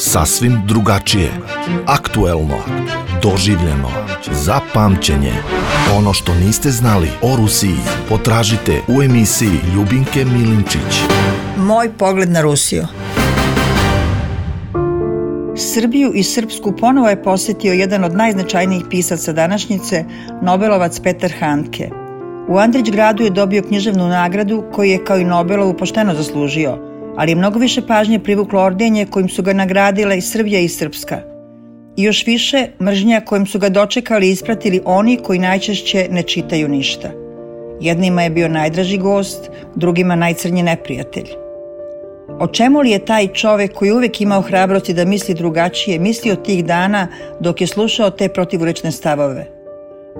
Sasvim drugačije, aktuelno, doživljeno, za pamćenje. Ono što niste znali o Rusiji potražite u emisiji Ljubinke Milinčić. Moj pogled na Rusiju. Srbiju i Srpsku ponovo je posjetio jedan od najznačajnijih pisaca današnjice, Nobelovac Petar Handke. U Andrićgradu je dobio književnu nagradu koju je kao i Nobelovu pošteno zaslužio, ali je mnogo više pažnje privuklo ordenje kojim su ga nagradile i Srbija i Srpska. I još više mržnja kojim su ga dočekali i ispratili oni koji najčešće ne čitaju ništa. Jednima je bio najdraži gost, drugima najcrnji neprijatelj. O čemu li je taj čovek koji uvek imao hrabrosti da misli drugačije, mislio tih dana dok je slušao te protivrečne stavove?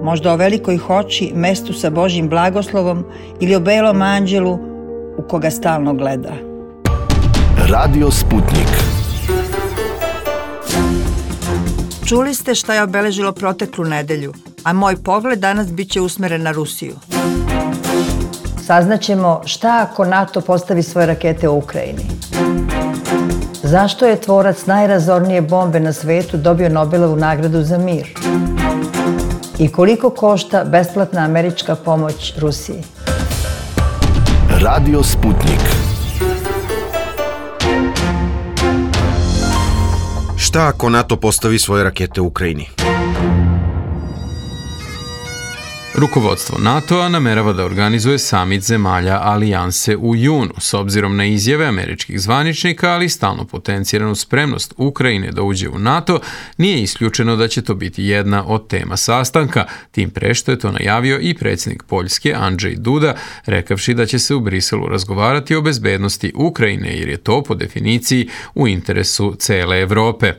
Možda o velikoj hoći, mestu sa Božjim blagoslovom ili o belom anđelu u koga stalno gleda. Radio Sputnik. Čuli ste šta je obeležilo proteklu nedelju, a moj pogled danas bit će usmeren na Rusiju. Saznaćemo šta ako NATO postavi svoje rakete u Ukrajini. Zašto je tvorac najrazornije bombe na svetu dobio Nobelovu nagradu za mir? I koliko košta besplatna američka pomoć Rusiji? Radio Sputnik. Šta ako NATO postavi svoje rakete u Ukrajini? Rukovodstvo NATO-a namerava da organizuje samit zemalja alijanse u junu, s obzirom na izjave američkih zvaničnika, ali stalno potenciranu spremnost Ukrajine da uđe u NATO, nije isključeno da će to biti jedna od tema sastanka, tim pre što je to najavio i predsjednik Poljske Andrzej Duda, rekavši da će se u Briselu razgovarati o bezbednosti Ukrajine, jer je to po definiciji u interesu cele Evrope.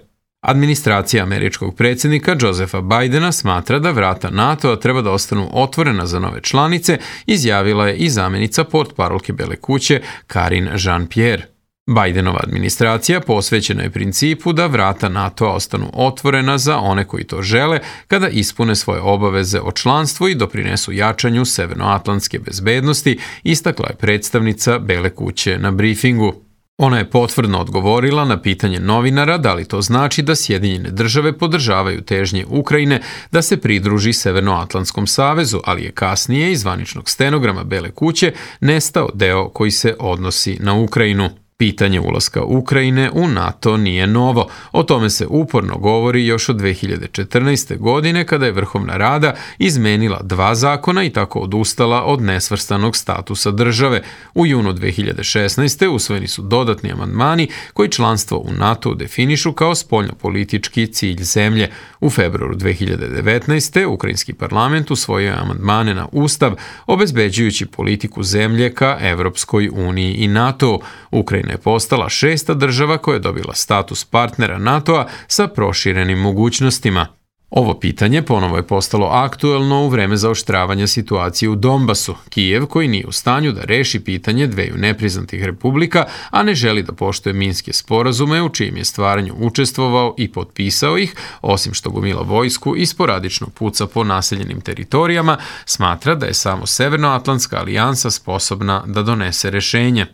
Administracija američkog predsjednika Josepha Bidena smatra da vrata NATO-a treba da ostanu otvorena za nove članice, izjavila je i zamjenica portparolke Bele kuće Karine Jean-Pierre. Bidenova administracija posvećena je principu da vrata NATO-a ostanu otvorena za one koji to žele kada ispune svoje obaveze o članstvu i doprinesu jačanju severnoatlantske bezbednosti, istakla je predstavnica Bele kuće na brifingu. Ona je potvrdno odgovorila na pitanje novinara da li to znači da Sjedinjene države podržavaju težnje Ukrajine da se pridruži Severnoatlantskom savezu, ali je kasnije iz zvaničnog stenograma Bele kuće nestao deo koji se odnosi na Ukrajinu. Pitanje ulaska Ukrajine u NATO nije novo. O tome se uporno govori još od 2014. godine kada je Vrhovna Rada izmenila 2 zakona i tako odustala od nesvrstanog statusa države. U junu 2016. usvojeni su dodatni amandmani koji članstvo u NATO definišu kao spoljnopolitički cilj zemlje. U februaru 2019. Ukrajinski parlament usvojio je amandmane na Ustav, obezbeđujući politiku zemlje ka Evropskoj uniji i NATO. Ukrajina je postala 6. država koja je dobila status partnera NATO-a sa proširenim mogućnostima. Ovo pitanje ponovo je postalo aktuelno u vreme zaoštravanja situacije u Donbasu. Kijev, koji nije u stanju da reši pitanje dveju nepriznatih republika, a ne želi da poštuje minske sporazume u čijem je stvaranju učestvovao i potpisao ih, osim što gomila vojsku i sporadično puca po naseljenim teritorijama, smatra da je samo Severnoatlantska alijansa sposobna da donese rešenje.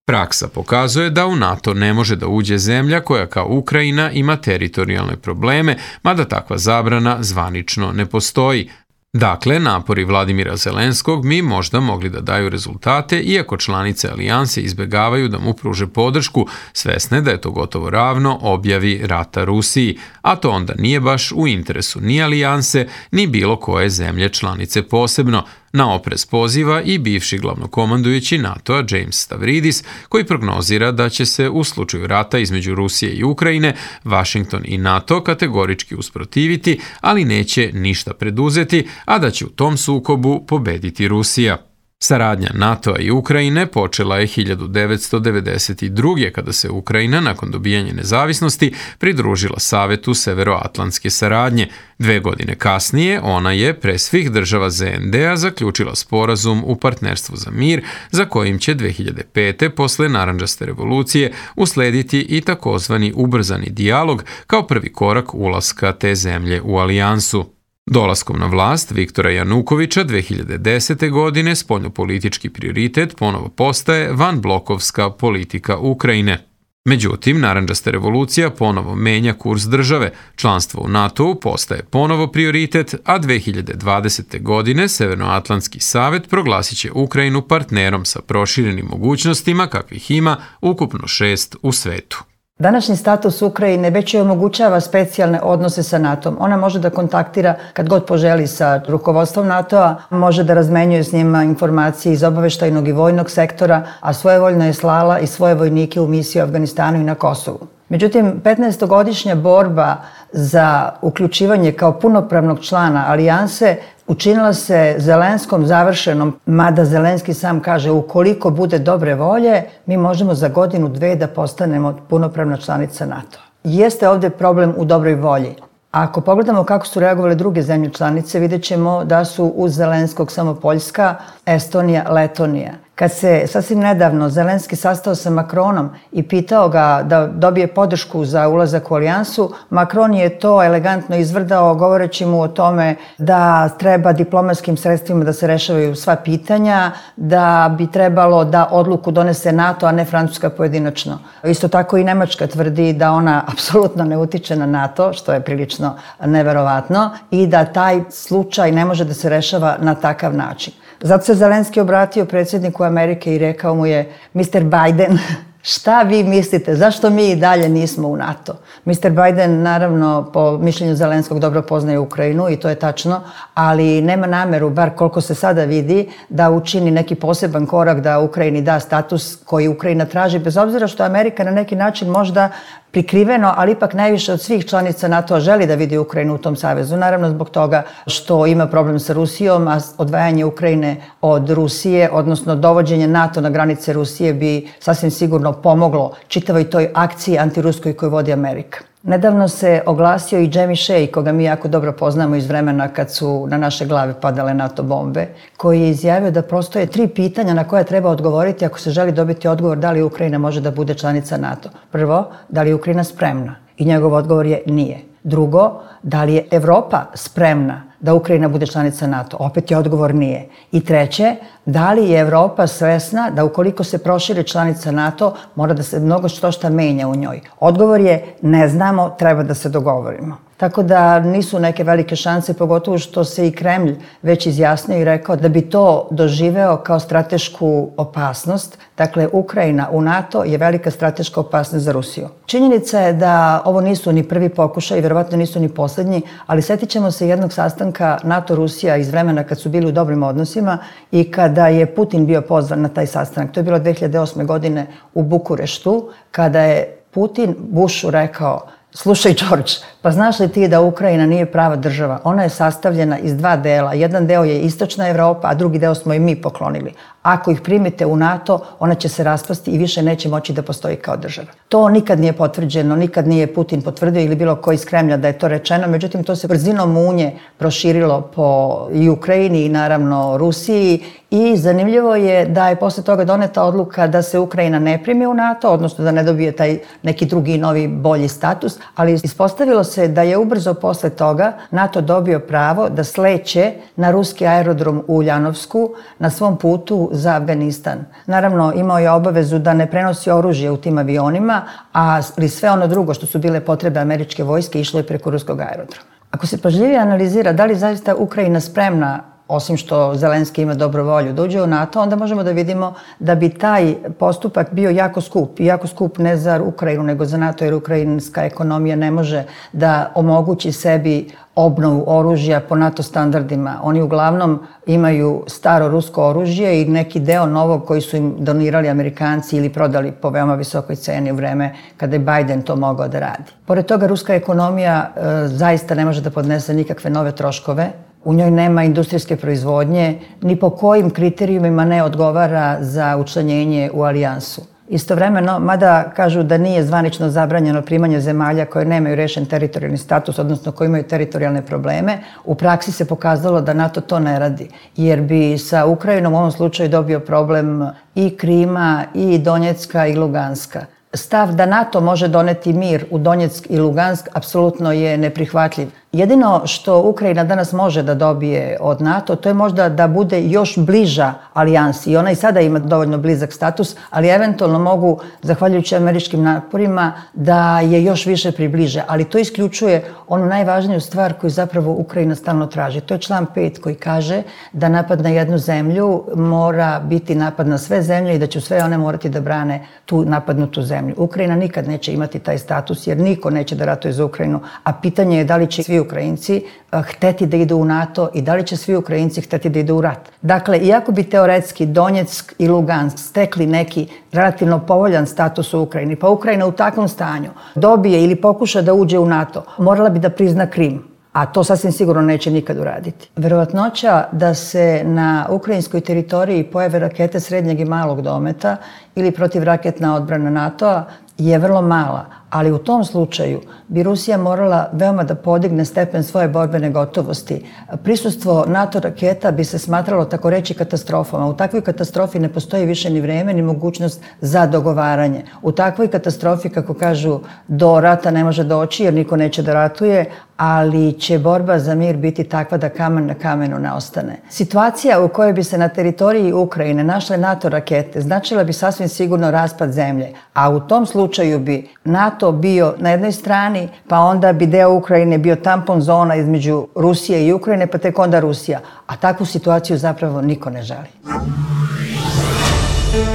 Praksa pokazuje da u NATO ne može da uđe zemlja koja kao Ukrajina ima teritorijalne probleme, mada takva zabrana zvanično ne postoji. Dakle, napori Vladimira Zelenskog bi možda mogli da daju rezultate, iako članice alijanse izbegavaju da mu pruže podršku, svesne da je to gotovo ravno objavi rata Rusiji, a to onda nije baš u interesu ni alijanse, ni bilo koje zemlje članice posebno. Na oprez poziva i bivši glavnokomandujući NATO-a James Stavridis, koji prognozira da će se u slučaju rata između Rusije i Ukrajine Washington i NATO kategorički usprotiviti, ali neće ništa preduzeti, a da će u tom sukobu pobediti Rusija. Saradnja NATO-a i Ukrajine počela je 1992. kada se Ukrajina, nakon dobijanja nezavisnosti, pridružila Savetu Severoatlantske saradnje. 2 godine kasnije ona je pre svih država ZND-a zaključila sporazum u partnerstvu za mir, za kojim će 2005. posle Narandžaste revolucije uslediti i takozvani ubrzani dijalog kao prvi korak ulaska te zemlje u alijansu. Dolaskom na vlast Viktora Janukovića 2010. godine spoljnopolitički prioritet ponovo postaje vanblokovska politika Ukrajine. Međutim, narandžasta revolucija ponovo menja kurs države, članstvo u NATO-u postaje ponovo prioritet, a 2020. godine Severnoatlantski savet proglasit će Ukrajinu partnerom sa proširenim mogućnostima kakvih ima ukupno 6 u svetu. Današnji status Ukrajine već joj omogućava specijalne odnose sa NATO-om. Ona može da kontaktira kad god poželi sa rukovodstvom NATO-a, može da razmenjuje s njima informacije iz obaveštajnog i vojnog sektora, a svojevoljno je slala i svoje vojnike u misiju u Afganistanu i na Kosovu. Međutim, 15-godišnja borba za uključivanje kao punopravnog člana alijanse učinila se Zelenskom završenom, mada Zelenski sam kaže ukoliko bude dobre volje, mi možemo za godinu, dve da postanemo punopravna članica NATO. Jeste ovdje problem u dobroj volji. Ako pogledamo kako su reagovale druge zemlje članice, vidjet ćemo da su uz Zelenskog samo Poljska, Estonija, Letonija. Kad se sasvim nedavno Zelenski sastao sa Macronom i pitao ga da dobije podršku za ulazak u alijansu, Macron je to elegantno izvrdao govoreći mu o tome da treba diplomatskim sredstvima da se rešavaju sva pitanja, da bi trebalo da odluku donese NATO, a ne Francuska pojedinačno. Isto tako i Nemačka tvrdi da ona apsolutno ne utiče na NATO, što je prilično neverovatno, i da taj slučaj ne može da se rešava na takav način. Zato se Zelenski obratio predsjedniku Amerike i rekao mu je: Mr. Biden, šta vi mislite, zašto mi i dalje nismo u NATO? Mr. Biden, naravno, po mišljenju Zelenskog dobro poznaje Ukrajinu i to je tačno, ali nema nameru, bar koliko se sada vidi, da učini neki poseban korak da Ukrajini da status koji Ukrajina traži, bez obzira što Amerika na neki način možda prikriveno, ali ipak najviše od svih članica NATO-a želi da vidi Ukrajinu u tom savezu. Naravno zbog toga što ima problem sa Rusijom, a odvajanje Ukrajine od Rusije, odnosno dovođenje NATO na granice Rusije bi sasvim sigurno pomoglo čitavoj toj akciji antiruskoj koju vodi Amerika. Nedavno se oglasio i Jamie Shea, koga mi jako dobro poznamo iz vremena kad su na naše glave padale NATO bombe, koji je izjavio da postoje 3 pitanja na koje treba odgovoriti ako se želi dobiti odgovor da li Ukrajina može da bude članica NATO. Prvo, da li je Ukrajina spremna? I njegov odgovor je nije. Drugo, da li je Evropa spremna da Ukrajina bude članica NATO? Opet je odgovor nije. I treće, da li je Evropa svesna da ukoliko se proširi članica NATO, mora da se mnogo što menja u njoj? Odgovor je ne znamo, treba da se dogovorimo. Tako da nisu neke velike šanse, pogotovo što se i Kremlj već izjasnio i rekao da bi to doživeo kao stratešku opasnost. Dakle, Ukrajina u NATO je velika strateška opasnost za Rusiju. Činjenica je da ovo nisu ni prvi pokušaj i verovatno nisu ni posljednji, ali sjetit ćemo se jednog sastanka NATO-Rusija iz vremena kad su bili u dobrim odnosima i kada je Putin bio pozvan na taj sastanak. To je bilo 2008. godine u Bukureštu, kada je Putin Bushu rekao: slušaj, George, pa znaš li ti da Ukrajina nije prava država? Ona je sastavljena iz 2 dela. Jedan deo je istočna Evropa, a drugi deo smo i mi poklonili. Ako ih primite u NATO, ona će se raspasti i više neće moći da postoji kao država. To nikad nije potvrđeno, nikad nije Putin potvrdio ili bilo ko iz Kremlja da je to rečeno, međutim to se brzinom munje proširilo po i Ukrajini i naravno Rusiji i zanimljivo je da je posle toga doneta odluka da se Ukrajina ne primi u NATO, odnosno da ne dobije taj neki drugi novi bolji status, ali ispostavilo se da je ubrzo posle toga NATO dobio pravo da sleće na ruski aerodrom u Uljanovsku na svom putu za Afganistan. Naravno, imao je obavezu da ne prenosi oružje u tim avionima, ali sve ono drugo što su bile potrebe američke vojske išlo je preko ruskog aerodroma. Ako se pažljivije analizira da li zaista Ukrajina spremna, osim što Zelenski ima dobru volju da uđe u NATO, onda možemo da vidimo da bi taj postupak bio jako skup. I jako skup ne za Ukrajinu, nego za NATO, jer ukrajinska ekonomija ne može da omogući sebi obnovu oružja po NATO standardima. Oni uglavnom imaju staro rusko oružje i neki deo novog koji su im donirali Amerikanci ili prodali po veoma visokoj ceni u vreme kada je Biden to mogao da radi. Pored toga, ruska ekonomija zaista ne može da podnese nikakve nove troškove. U njoj nema industrijske proizvodnje, ni po kojim kriterijumima ne odgovara za učlanjenje u alijansu. Istovremeno, mada kažu da nije zvanično zabranjeno primanje zemalja koje nemaju rešen teritorijalni status, odnosno koje imaju teritorijalne probleme, u praksi se pokazalo da NATO to ne radi, jer bi sa Ukrajinom u ovom slučaju dobio problem i Krima, i Donjecka, i Luganska. Stav da NATO može doneti mir u Donjeck i Lugansk apsolutno je neprihvatljiv. Jedino što Ukrajina danas može da dobije od NATO, to je možda da bude još bliža alijansi. I ona i sada ima dovoljno blizak status, ali eventualno mogu, zahvaljujući američkim naporima, da je još više približe. Ali to isključuje onu najvažniju stvar koju zapravo Ukrajina stalno traži. To je član 5 koji kaže da napad na jednu zemlju mora biti napad na sve zemlje i da će sve one morati da brane tu napadnutu zemlju. Ukrajina nikad neće imati taj status jer niko neće da ratuje za Ukrajinu, a pitanje je da li će svi Ukrajinci hteti da idu u NATO i da li će svi Ukrajinci hteti da idu u rat. Dakle, iako bi teoretski Donjeck i Lugansk stekli neki relativno povoljan status u Ukrajini, pa Ukrajina u takvom stanju dobije ili pokuša da uđe u NATO, morala bi da prizna Krim, a to sasvim sigurno neće nikad uraditi. Verovatnoća da se na ukrajinskoj teritoriji pojave rakete srednjeg i malog dometa ili protivraketna odbrana NATO-a je vrlo mala, ali u tom slučaju bi Rusija morala veoma da podigne stepen svoje borbene gotovosti. Prisustvo NATO raketa bi se smatralo tako reći katastrofom, a u takvoj katastrofi ne postoji više ni vreme ni mogućnost za dogovaranje. U takvoj katastrofi, kako kažu, do rata ne može doći jer niko neće da ratuje, ali će borba za mir biti takva da kamen na kamenu ne ostane. Situacija u kojoj bi se na teritoriji Ukrajine našle NATO rakete značila bi sasvim sigurno raspad zemlje, a u tom slučaju bi NATO bio na jednoj strani, pa onda bi deo Ukrajine bio tampon zona između Rusije i Ukrajine, pa tek onda Rusija. A takvu situaciju zapravo niko ne želi.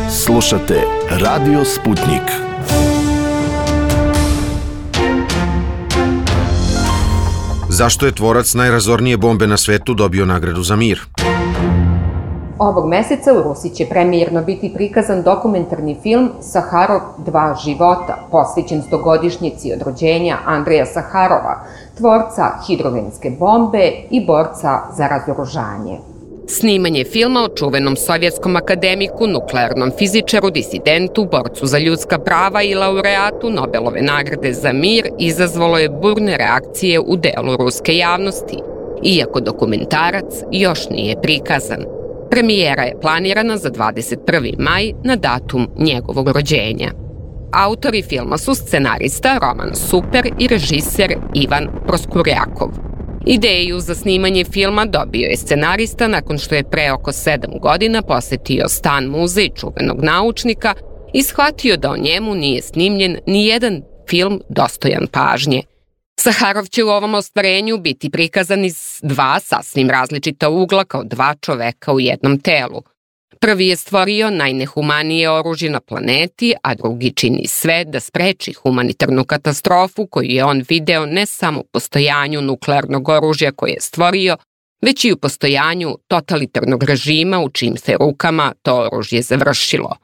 Slušate Radio Sputnik. Zašto je tvorac najrazornije bombe na svetu dobio nagradu za mir? Ovog meseca u Rusiji će premijerno biti prikazan dokumentarni film Saharov 2 života, posvećen 100-godišnjici od rođenja Andreja Saharova, tvorca hidrogenske bombe i borca za razoružanje. Snimanje filma o čuvenom sovjetskom akademiku, nuklearnom fizičaru, disidentu, borcu za ljudska prava i laureatu Nobelove nagrade za mir izazvalo je burne reakcije u delu ruske javnosti, iako dokumentarac još nije prikazan. Premijera je planirana za 21. maj na datum njegovog rođenja. Autori filma su scenarista Roman Super i režiser Ivan Proskurjakov. Ideju za snimanje filma dobio je scenarista nakon što je pre oko 7 godina posetio stan muzej čuvenog naučnika i shvatio da o njemu nije snimljen ni jedan film dostojan pažnje. Saharov će u ovom ostvarenju biti prikazan iz dva sasvim različita ugla kao dva čoveka u jednom telu. Prvi je stvorio najnehumanije oružje na planeti, a drugi čini sve da spreči humanitarnu katastrofu koju je on video ne samo u postojanju nuklearnog oružja koje je stvorio, već i u postojanju totalitarnog režima u čijim se rukama to oružje završilo.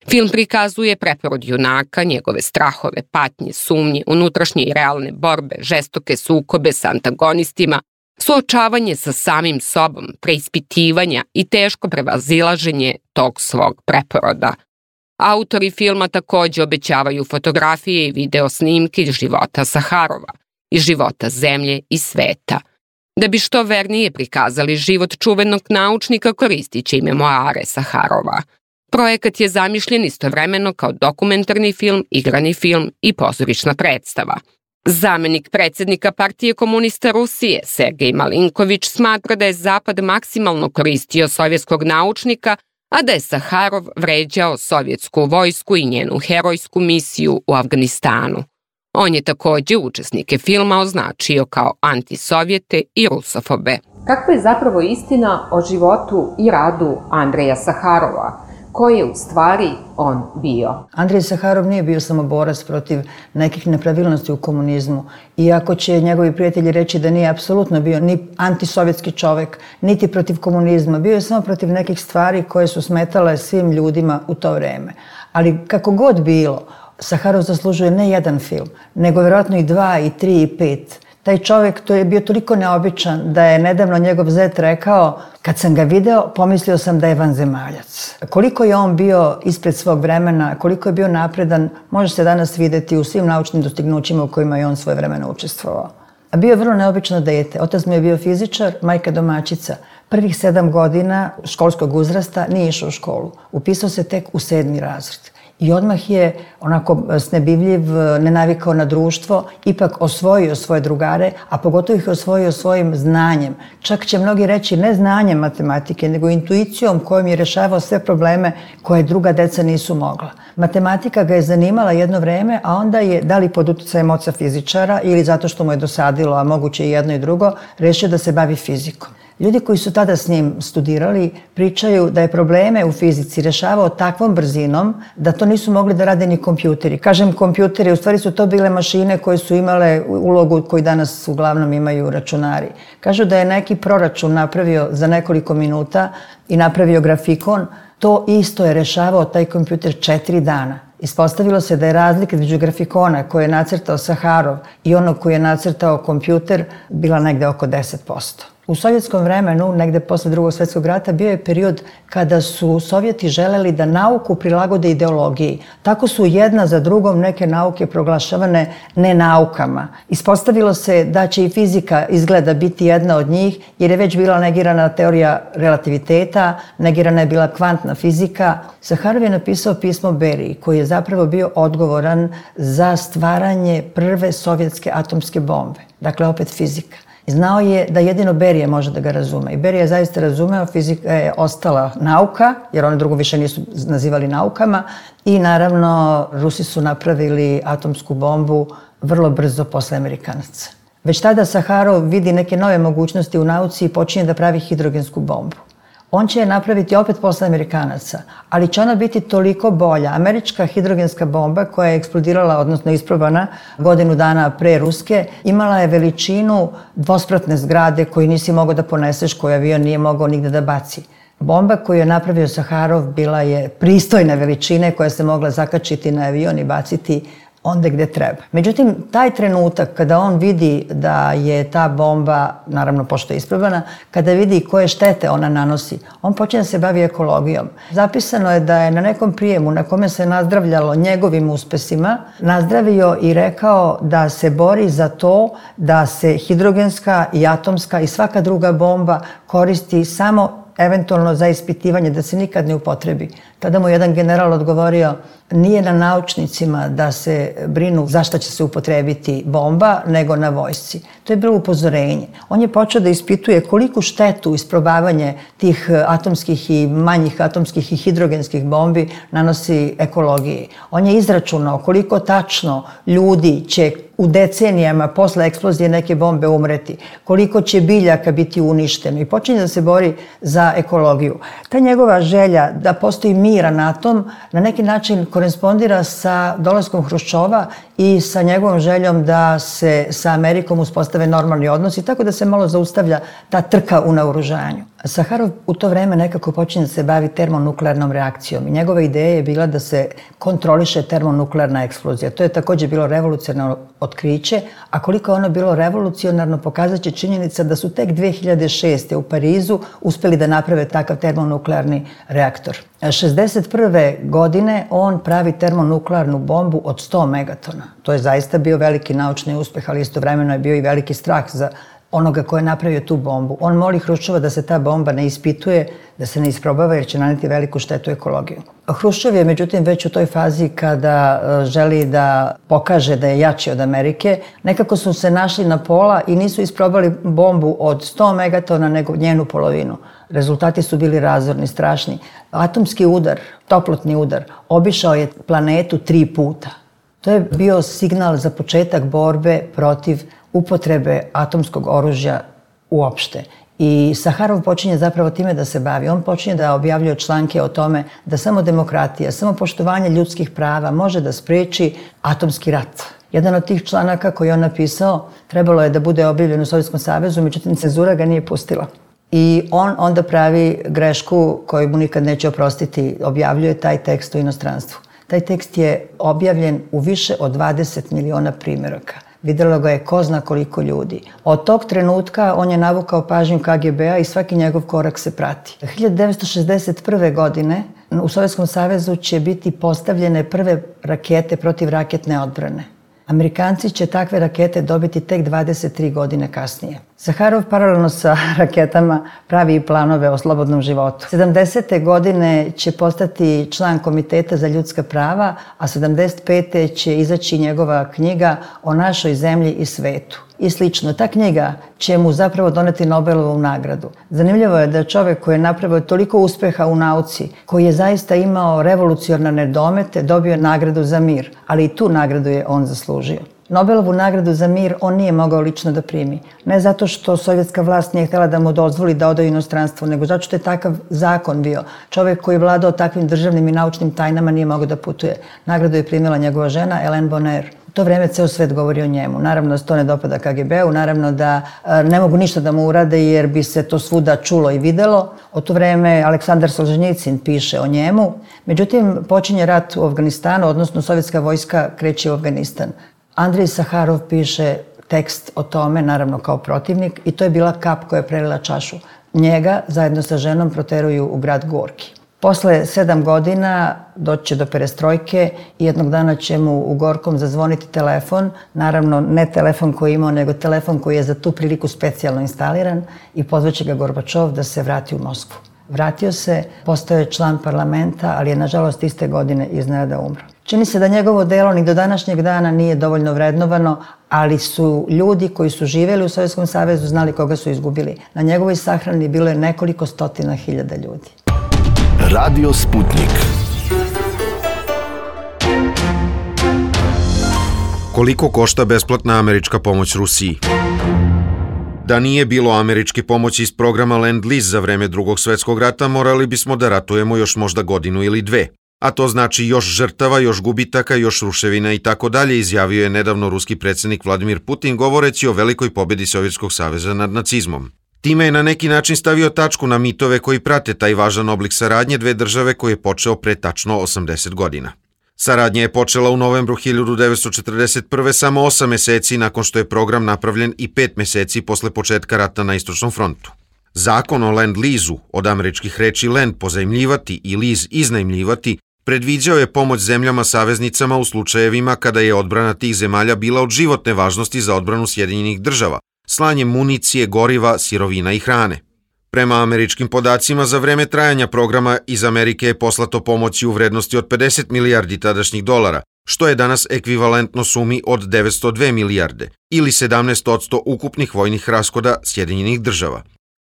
Film prikazuje preporod junaka, njegove strahove, patnje, sumnje, unutrašnje i realne borbe, žestoke sukobe sa antagonistima, suočavanje sa samim sobom, preispitivanja i teško prevazilaženje tog svog preporoda. Autori filma takođe obećavaju fotografije i video snimke iz života Saharova, iz života zemlje i sveta. Da bi što vernije prikazali život čuvenog naučnika, koristit će i memoare Saharova. Projekat je zamišljen istovremeno kao dokumentarni film, igrani film i pozorišna predstava. Zamenik predsjednika Partije komunista Rusije, Sergej Malinković, smatra da je Zapad maksimalno koristio sovjetskog naučnika, a da je Saharov vređao sovjetsku vojsku i njenu herojsku misiju u Afganistanu. On je takođe učesnike filma označio kao antisovjete i rusofobe. Kakva je zapravo istina o životu i radu Andreja Saharova? Ko je u stvari on bio? Andrej Saharov nije bio samo borac protiv nekih nepravilnosti u komunizmu. Iako će njegovi prijatelji reći da nije apsolutno bio ni antisovjetski čovek, niti protiv komunizma. Bio je samo protiv nekih stvari koje su smetale svim ljudima u to vreme. Ali kako god bilo, Saharov zaslužuje ne jedan film, nego vjerojatno i 2, i 3, i 5. Taj čovjek, to je bio toliko neobičan da je nedavno njegov zet rekao: kad sam ga video, pomislio sam da je vanzemaljac. Koliko je on bio ispred svog vremena, koliko je bio napredan, može se danas vidjeti u svim naučnim dostignućima u kojima je on svoje vremena učestvovao. A bio je vrlo neobično dete. Otac mu je bio fizičar, majka domaćica. Prvih 7 godina školskog uzrasta nije išao u školu. Upisao se tek u 7. razred. I odmah je onako snebivljiv, nenavikao na društvo, ipak osvojio svoje drugare, a pogotovo ih osvojio svojim znanjem. Čak će mnogi reći ne znanjem matematike, nego intuicijom kojom je rešavao sve probleme koje druga deca nisu mogla. Matematika ga je zanimala jedno vreme, a onda je, da li pod uticajem oca fizičara ili zato što mu je dosadilo, a moguće i jedno i drugo, rešio da se bavi fizikom. Ljudi koji su tada s njim studirali pričaju da je probleme u fizici rešavao takvom brzinom da to nisu mogli da rade ni kompjuteri. Kažem kompjuteri, u stvari su to bile mašine koje su imale ulogu koju danas uglavnom imaju računari. Kažu da je neki proračun napravio za nekoliko minuta i napravio grafikon, to isto je rešavao taj kompjuter 4 dana. Ispostavilo se da je razlika između grafikona koje je nacrtao Saharov i onog koji je nacrtao kompjuter bila negde oko 10%. U sovjetskom vremenu, negde posle Drugog svjetskog rata, bio je period kada su Sovjeti želeli da nauku prilagode ideologiji. Tako su jedna za drugom neke nauke proglašavane nenaukama. Ispostavilo se da će i fizika izgleda biti jedna od njih, jer je već bila negirana teorija relativiteta, negirana je bila kvantna fizika. Saharov je napisao pismo Beriji, koji je zapravo bio odgovoran za stvaranje prve sovjetske atomske bombe. Dakle, opet fizika. Znao je da jedino Berija može da ga razume. I Berija je zaista razumeo, fizika je ostala nauka, jer one drugo više nisu nazivali naukama. I naravno, Rusi su napravili atomsku bombu vrlo brzo posle Amerikanaca. Već tada Saharov vidi neke nove mogućnosti u nauci i počinje da pravi hidrogensku bombu. On će je napraviti opet posle Amerikanaca, ali će ona biti toliko bolja. Američka hidrogenska bomba koja je eksplodirala, odnosno isprobana godinu dana pre ruske, imala je veličinu dvospratne zgrade koju nisi mogao da poneseš, koju avion nije mogao nigde da baci. Bomba koju je napravio Saharov bila je pristojne veličine koja se mogla zakačiti na avion i baciti onda gde treba. Međutim, taj trenutak kada on vidi da je ta bomba, naravno pošto je isprobana, kada vidi koje štete ona nanosi, on počne da se bavi ekologijom. Zapisano je da je na nekom prijemu na kome se nazdravljalo njegovim uspesima, nazdravio i rekao da se bori za to da se hidrogenska i atomska i svaka druga bomba koristi samo eventualno za ispitivanje, da se nikad ne upotrebi. Tada mu jedan general odgovorio, nije na naučnicima da se brinu za šta će se upotrebiti bomba, nego na vojsci. To je bilo upozorenje. On je počeo da ispituje koliku štetu isprobavanje tih atomskih i manjih atomskih i hidrogenskih bombi nanosi ekologiji. On je izračunao koliko tačno ljudi će u decenijama posle eksplozije neke bombe umreti, koliko će biljaka biti uništeno i počinje da se bori za ekologiju. Ta njegova želja da postoji miran atom na neki način korespondira sa dolaskom Hruščova i sa njegovom željom da se sa Amerikom uspostave normalni odnosi, tako da se malo zaustavlja ta trka u naoružanju. Saharov u to vreme nekako počinje da se bavi termonuklearnom reakcijom i njegova ideja je bila da se kontroliše termonuklearna eksplozija. To je također bilo revolucionarno otkriće, a koliko je ono bilo revolucionarno pokazat će činjenica da su tek 2006. u Parizu uspeli da naprave takav termonuklearni reaktor. 1961. godine on pravi termonuklearnu bombu od 100 megatona. To je zaista bio veliki naučni uspeh, ali istovremeno je bio i veliki strah za onoga ko je napravio tu bombu. On moli Hruščova da se ta bomba ne ispituje, da se ne isprobava jer će naneti veliku štetu ekologiju. Hruščov je međutim već u toj fazi kada želi da pokaže da je jači od Amerike. Nekako su se našli na pola i nisu isprobali bombu od 100 megatona nego njenu polovinu. Rezultati su bili razorni, strašni. Atomski udar, toplotni udar, obišao je planetu 3 puta. To je bio signal za početak borbe protiv upotrebe atomskog oružja uopšte. I Saharov počinje zapravo time da se bavi. On počinje da objavljuje članke o tome da samo demokratija, samo poštovanje ljudskih prava može da spreči atomski rat. Jedan od tih članaka koji je on napisao trebalo je da bude objavljen u Sovjetskom savezu, međutim cenzura ga nije pustila. I on onda pravi grešku koju mu nikad neće oprostiti, objavljuje taj tekst u inostranstvu. Taj tekst je objavljen u više od 20 miliona primjeraka. Vidjelo ga je ko zna koliko ljudi. Od tog trenutka on je navukao pažnju KGB-a i svaki njegov korak se prati. 1961. godine u Sovjetskom savezu će biti postavljene prve rakete protivraketne odbrane. Amerikanci će takve rakete dobiti tek 23 godine kasnije. Saharov paralelno sa raketama pravi i planove o slobodnom životu. 70. godine će postati član Komiteta za ljudska prava, a 75. će izaći njegova knjiga o našoj zemlji i svetu. I slično. Ta knjiga će mu zapravo doneti Nobelovu nagradu. Zanimljivo je da čovjek koji je napravio toliko uspeha u nauci, koji je zaista imao revolucionarne domete, dobio nagradu za mir, ali i tu nagradu je on zaslužio. Nobelovu nagradu za mir on nije mogao lično da primi. Ne zato što sovjetska vlast nije htjela da mu dozvoli da ode u inostranstvo, nego zato što je takav zakon bio. Čovjek koji je vladao takvim državnim i naučnim tajnama nije mogao da putuje. Nagradu je primila njegova žena, Ellen Bonner. U to vreme ceo svet govori o njemu. Naravno da se to ne dopada KGB-u, naravno da ne mogu ništa da mu urade jer bi se to svuda čulo i videlo. U to vreme Aleksandar Solženjicin piše o njemu. Međutim, počinje rat u Afganistanu, odnosno sovjetska vojska kreće u Afganistan. Andrej Saharov piše tekst o tome, naravno kao protivnik, i to je bila kap koja je prelila čašu. Njega zajedno sa ženom proteruju u grad Gorki. Posle 7 godina doći će do perestrojke i jednog dana će mu u Gorkom zazvoniti telefon, naravno ne telefon koji je imao, nego telefon koji je za tu priliku specijalno instaliran i pozvaće ga Gorbačov da se vrati u Moskvu. Vratio se, postao je član parlamenta, ali je nažalost iste godine iznenada umro. Čini se da njegovo delo ni do današnjeg dana nije dovoljno vrednovano, ali su ljudi koji su živjeli u Sovjetskom savezu znali koga su izgubili. Na njegovoj sahrani bilo je nekoliko stotina hiljada ljudi. Radio Sputnik. Koliko košta besplatna američka pomoć Rusiji? Da nije bilo američke pomoći iz programa Lend-Lease za vreme Drugog svjetskog rata, morali bismo da ratujemo još možda godinu ili dve. A to znači još žrtava, još gubitaka, još ruševina i tako dalje, izjavio je nedavno ruski predsjednik Vladimir Putin govoreći o velikoj pobjedi Sovjetskog saveza nad nacizmom. Time je na neki način stavio tačku na mitove koji prate taj važan oblik saradnje dve države koji je počeo pre tačno 80 godina. Saradnja je počela u novembru 1941. samo 8 meseci nakon što je program napravljen i 5 meseci posle početka rata na Istočnom frontu. Zakon o Lend-Lease-u, od američkih reči Lend pozajmljivati i Lease iznajmljivati, predviđao je pomoć zemljama saveznicama u slučajevima kada je odbrana tih zemalja bila od životne važnosti za odbranu Sjedinjenih država, slanjem municije, goriva, sirovina i hrane. Prema američkim podacima, za vreme trajanja programa iz Amerike je poslato pomoći u vrednosti od 50 milijardi tadašnjih dolara, što je danas ekvivalentno sumi od 902 milijarde ili 17% ukupnih vojnih rashoda Sjedinjenih država.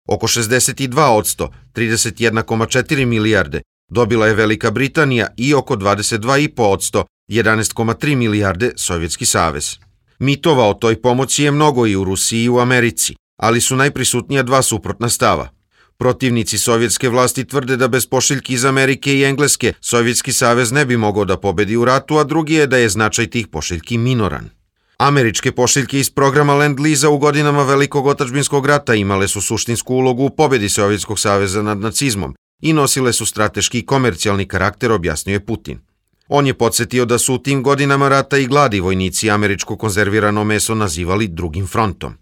Oko 62%, 31,4 milijarde, dobila je Velika Britanija i oko 22,5%, 11,3 milijarde Sovjetski savez. Mitova o toj pomoći je mnogo i u Rusiji i u Americi, ali su najprisutnija dva suprotna stava. Protivnici sovjetske vlasti tvrde da bez pošiljki iz Amerike i Engleske Sovjetski savez ne bi mogao da pobedi u ratu, a drugi je da je značaj tih pošiljki minoran. Američke pošiljke iz programa Lend-Lease-a u godinama Velikog otadžbinskog rata imale su suštinsku ulogu u pobedi Sovjetskog saveza nad nacizmom i nosile su strateški i komercijalni karakter, objasnio je Putin. On je podsjetio da su u tim godinama rata i gladi vojnici američko konzervirano meso nazivali drugim frontom.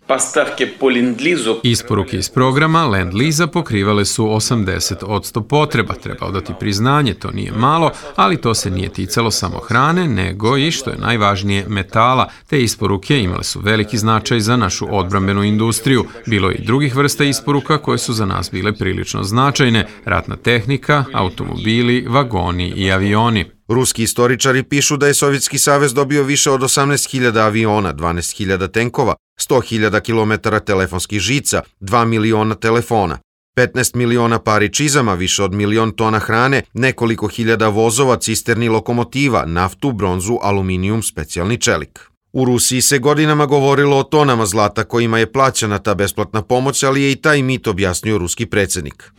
Isporuke iz programa Lend-Lease-a pokrivale su 80% potreba. Treba odati priznanje, to nije malo, ali to se nije ticalo samo hrane, nego i, što je najvažnije, metala. Te isporuke imale su veliki značaj za našu odbrambenu industriju. Bilo je i drugih vrsta isporuka koje su za nas bile prilično značajne. Ratna tehnika, automobili, vagoni i avioni. Ruski istoričari pišu da je Sovjetski savez dobio više od 18.000 aviona, 12.000 tenkova, 100.000 kilometara telefonskih žica, 2 miliona telefona, 15 miliona pari čizama, više od 1.000.000 tona hrane, nekoliko hiljada vozova, cisterni, lokomotiva, naftu, bronzu, aluminijum, specijalni čelik. U Rusiji se godinama govorilo o tonama zlata kojima je plaćana ta besplatna pomoć, ali je i taj mit objasnio ruski predsjednik.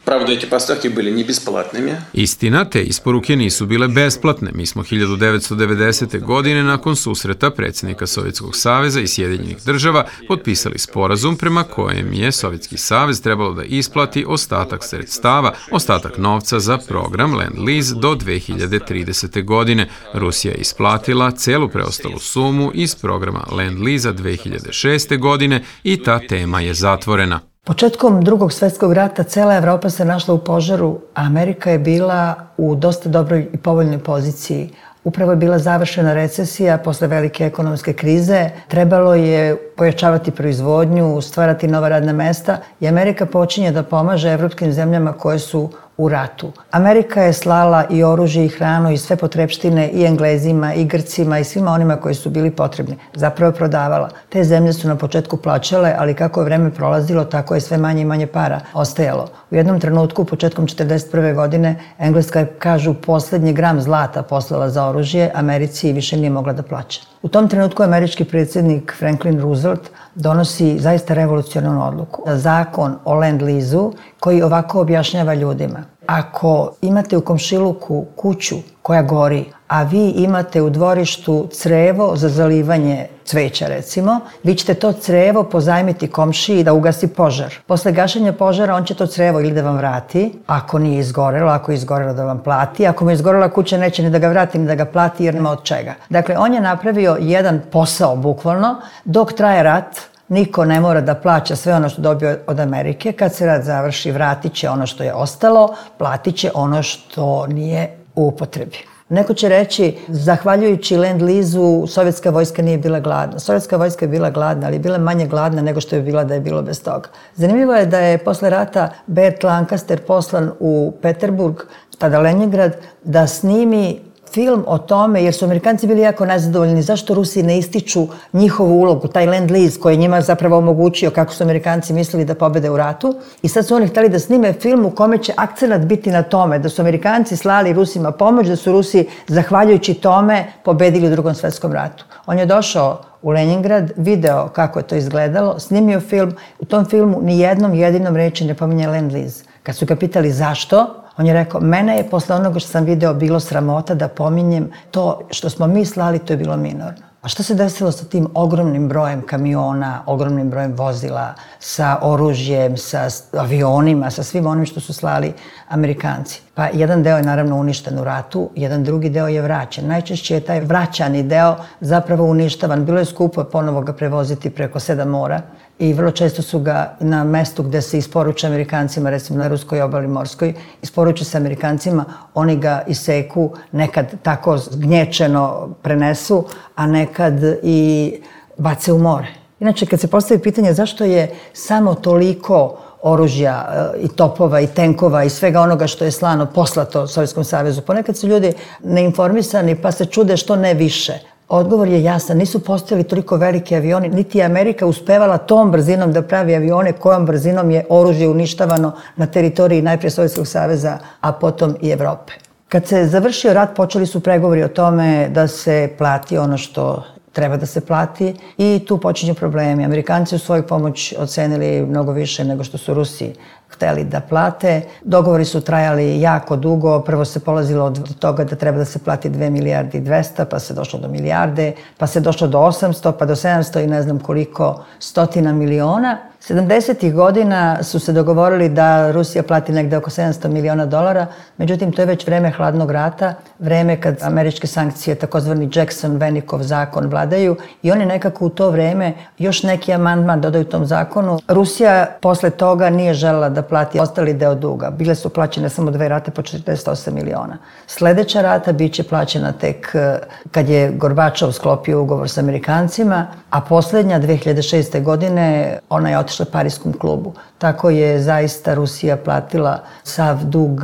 Istina, te isporuke nisu bile besplatne. Mi smo 1990. godine nakon susreta predsjednika Sovjetskog saveza i Sjedinjenih država potpisali sporazum prema kojem je Sovjetski savez trebalo da isplati ostatak sredstava, ostatak novca za program Lend-Lease do 2030. godine. Rusija je isplatila celu preostalu sumu iz programa Lend-Lease-a 2006. godine i ta tema je zatvorena. Početkom Drugog svjetskog rata cela Evropa se našla u požaru, a Amerika je bila u dosta dobroj i povoljnoj poziciji. Upravo je bila završena recesija posle velike ekonomske krize. Trebalo je pojačavati proizvodnju, stvarati nova radna mesta i Amerika počinje da pomaže evropskim zemljama koje su u ratu. Amerika je slala i oružje i hranu i sve potrepštine i Englezima i Grcima i svima onima koji su bili potrebni. Zapravo je prodavala. Te zemlje su na početku plaćale, ali kako je vreme prolazilo, tako je sve manje i manje para ostajalo. U jednom trenutku, početkom 1941. godine, Engleska je, kažu, poslednji gram zlata poslala za oružje Americi i više nije mogla da plaća. U tom trenutku američki predsjednik Franklin Roosevelt donosi zaista revolucionarnu odluku. Zakon o Land-Leasu koji ovako objašnjava ljudima. Ako imate u komšiluku kuću koja gori, a vi imate u dvorištu crevo za zalivanje cveća, recimo, vi ćete to crevo pozajmiti komšiji da ugasi požar. Posle gašenja požara on će to crevo ili da vam vrati, ako nije izgorelo, ako je izgorelo da vam plati, ako mu je izgorela kuća neće ni da ga vrati ni da ga plati jer nema od čega. Dakle, on je napravio jedan posao, bukvalno, dok traje rat. Niko ne mora da plaća sve ono što dobio od Amerike. Kad se rat završi, vratit će ono što je ostalo, platit će ono što nije u upotrebi. Neko će reći, zahvaljujući Land-Leasu, sovjetska vojska nije bila gladna. Sovjetska vojska je bila gladna, ali je bila manje gladna nego što je bila da je bilo bez toga. Zanimljivo je da je posle rata Bert Lancaster poslan u Peterburg, tada Leningrad, da snimi film o tome, jer su Amerikanci bili jako nezadovoljni zašto Rusi ne ističu njihovu ulogu, taj Land-Lease koji je njima zapravo omogućio kako su Amerikanci mislili da pobede u ratu. I sad su oni hteli da snime film u kome će akcenat biti na tome da su Amerikanci slali Rusima pomoć, da su Rusi, zahvaljujući tome, pobedili u Drugom svetskom ratu. On je došao u Leningrad, video kako je to izgledalo, snimio film. U tom filmu ni jednom jedinom reči ne pominje Land-Lease. Kad su ga pitali zašto, on je rekao, mene je posle onoga što sam video bilo sramota da pominjem to što smo mi slali, to je bilo minorno. A šta se desilo sa tim ogromnim brojem kamiona, ogromnim brojem vozila, sa oružjem, sa avionima, sa svim onim što su slali Amerikanci? Pa jedan deo je naravno uništen u ratu, jedan drugi deo je vraćen. Najčešće je taj vraćani deo zapravo uništavan. Bilo je skupo ponovo ga prevoziti preko 7 mora i vrlo često su ga na mestu gde se isporuče Amerikancima, recimo na ruskoj obali morskoj, isporuče se Amerikancima, oni ga iseku, nekad tako gnječeno prenesu, a nekad i bace u more. Inače, kad se postavi pitanje zašto je samo toliko oružja i topova i tenkova i svega onoga što je slano poslato Sovjetskom savezu, ponekad su ljudi neinformisani pa se čude što ne više. Odgovor je jasan, nisu postojali toliko veliki avioni, niti je Amerika uspevala tom brzinom da pravi avione kojom brzinom je oružje uništavano na teritoriji najprije Sovjetskog saveza, a potom i Evrope. Kad se završio rat, počeli su pregovori o tome da se plati ono što treba da se plati i tu počinju problemi. Amerikanci su svoju pomoć ocenili mnogo više nego što su Rusi hteli da plate. Dogovori su trajali jako dugo. Prvo se polazilo od toga da treba da se plati 2 milijarde i 200, pa se došlo do milijarde, pa se došlo do 800, pa do 700 i ne znam koliko stotina miliona. 70. godina su se dogovorili da Rusija plati negde oko $700 miliona, međutim to je već vreme hladnog rata, vreme kad američke sankcije, takozvani Jackson-Vanikov zakon, vladaju i oni nekako u to vreme još neki amandman dodaju tom zakonu. Rusija posle toga nije želela da plati ostali deo duga. Bile su plaćene samo 2 rate po 48 miliona. Sledeća rata biće plaćena tek kad je Gorbačov sklopio ugovor sa Amerikancima, a poslednja 2006. godine ona je otišla Pariskom klubu. Tako je zaista Rusija platila sav dug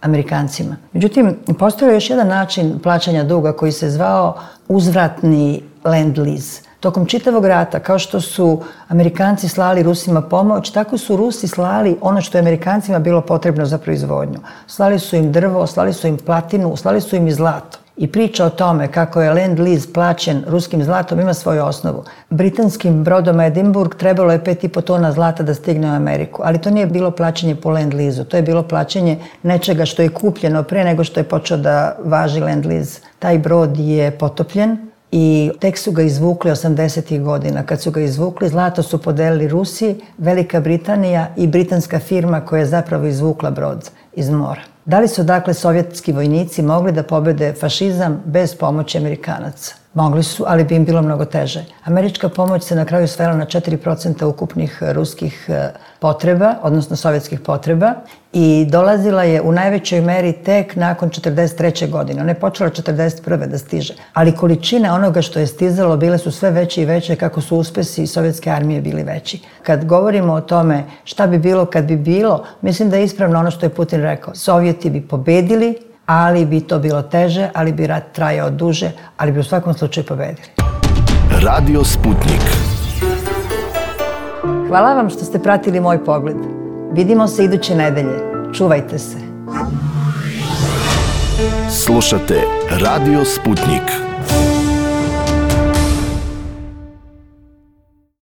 Amerikancima. Međutim, postojao je još jedan način plaćanja duga koji se zvao uzvratni Land-Lease. Tokom čitavog rata, kao što su Amerikanci slali Rusima pomoć, tako su Rusi slali ono što je Amerikancima bilo potrebno za proizvodnju. Slali su im drvo, slali su im platinu, slali su im i zlato. I priča o tome kako je Land-Lease plaćen ruskim zlatom ima svoju osnovu. Britanskim brodom Edinburgh trebalo je 5,5 tona zlata da stigne u Ameriku, ali to nije bilo plaćanje po Land-Leasu, to je bilo plaćanje nečega što je kupljeno pre nego što je počeo da važi Land-Lease. Taj brod je potopljen i tek su ga izvukli 80. godina. Kad su ga izvukli, zlato su podelili Rusi, Velika Britanija i britanska firma koja je zapravo izvukla brod iz mora. Da li su dakle sovjetski vojnici mogli da pobede fašizam bez pomoći Amerikanaca? Mogli su, ali bi im bilo mnogo teže. Američka pomoć se na kraju svela na 4% ukupnih ruskih potreba, odnosno sovjetskih potreba, i dolazila je u najvećoj meri tek nakon 1943. godine. Ona je počela 1941. da stiže. Ali količine onoga što je stizalo bile su sve veće i veće kako su uspesi sovjetske armije bili veći. Kad govorimo o tome šta bi bilo kad bi bilo, mislim da je ispravno ono što je Putin rekao. Sovjeti bi pobedili, ali bi to bilo teže, ali bi rat trajao duže, ali bi u svakom slučaju pobedili. Radio Sputnik. Hvala vam što ste pratili moj pogled. Vidimo se iduće nedelje. Čuvajte se. Slušate Radio Sputnik.